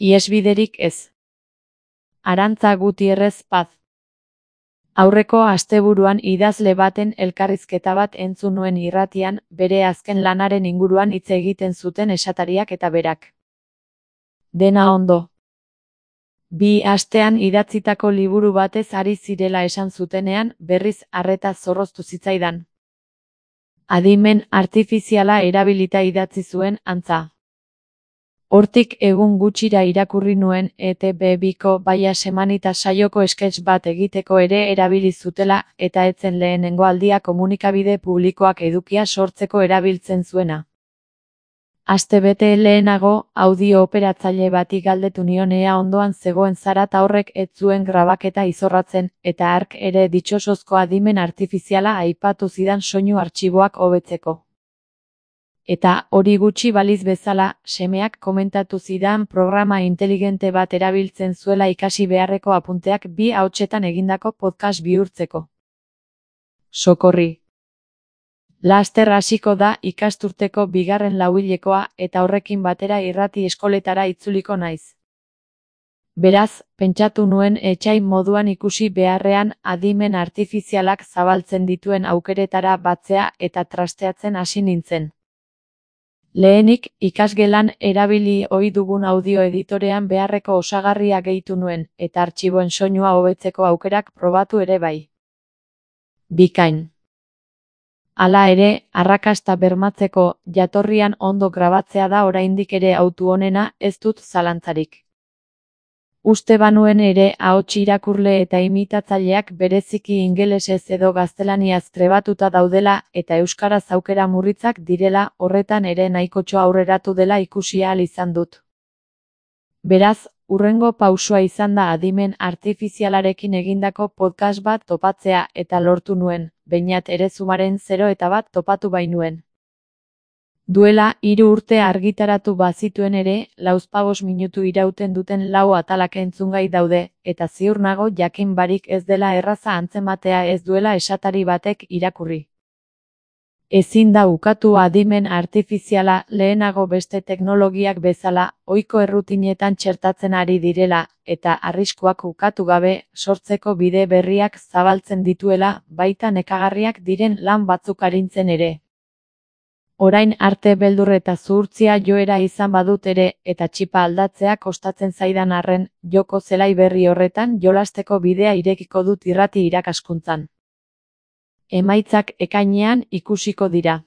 Ihesbiderik ez. Arantza Gutierrez Paz. Aurreko asteburuan idazle baten elkarrizketa bat entzun nuen irratian, bere azken lanaren inguruan hitz egiten zuten esatariak eta berak. Dena ondo. 2 astean idatzitako liburu batez ari zirela esan zutenean, berriz arreta zorroztu zitzaidan. Adimen artifiziala erabilita idatzi zuen, antza. Hortik egun gutxira irakurri nuen ETB2ko Baia Semanita saioko sketch bat egiteko ere erabili zutela, eta ez zen lehenengo aldia komunikabide publikoak edukia sortzeko erabiltzen zuena. Astebete lehenago, audio operatzaile bati galdetu nion ea ondoan zegoen zara ta horrek ez zuen grabaketa izorratzen, eta hark ere ditxosozko adimen artifiziala aipatu zidan soinu artxiboak hobetzeko. Eta hori gutxi baliz bezala, semeak komentatu zidan programa inteligente bat erabiltzen zuela ikasi beharreko apunteak 2 ahotsetan egindako podcast bihurtzeko. Sokorri. Laster hasiko da ikasturteko 2. lauhilekoa eta horrekin batera irrati eskoletara itzuliko naiz. Beraz, pentsatu nuen etsai moduan ikusi beharrean adimen artifizialak zabaltzen dituen aukeretara batzea eta trasteatzen hasi nintzen. Lehenik, ikasgelan erabili ohi dugun audio editorean beharreko osagarria gehitu nuen, eta artxiboen soinua hobetzeko aukerak probatu ere bai. Bikain. Hala ere, arrakasta bermatzeko, jatorrian ondo grabatzea da oraindik ere hautu onena, ez dut zalantzarik. Uste banuen ere ahots irakurle eta imitatzaileak bereziki ingelesez edo gaztelaniaz trebatuta daudela eta euskaraz aukera murritzak direla, horretan ere nahikotxo aurreratu dela ikusi ahal izan dut. Beraz, hurrengo pausua izan da adimen artifizialarekin egindako podcast bat topatzea eta lortu nuen, behinat ere Zoomaren 0 topatu bainuen. Duela 3 urte argitaratu bazituen ere, 45 minutu irauten duten 4 atalak entzungai daude, eta ziur nago jakin barik ez dela erraza antzematea ez duela esatari batek irakurri. Ezin da ukatu adimen artifiziala lehenago beste teknologiak bezala, ohiko errutinetan txertatzen ari direla, eta arriskuak ukatu gabe, sortzeko bide berriak zabaltzen dituela, baita nekagarriak diren lan batzuk arintzen ere. Orain arte beldur eta zuhurtzia joera izan badut ere, eta txipa aldatzea kostatzen zaidan arren, joko zelai berri horretan jolasteko bidea irekiko dut irrati irakaskuntzan. Emaitzak ekainean ikusiko dira.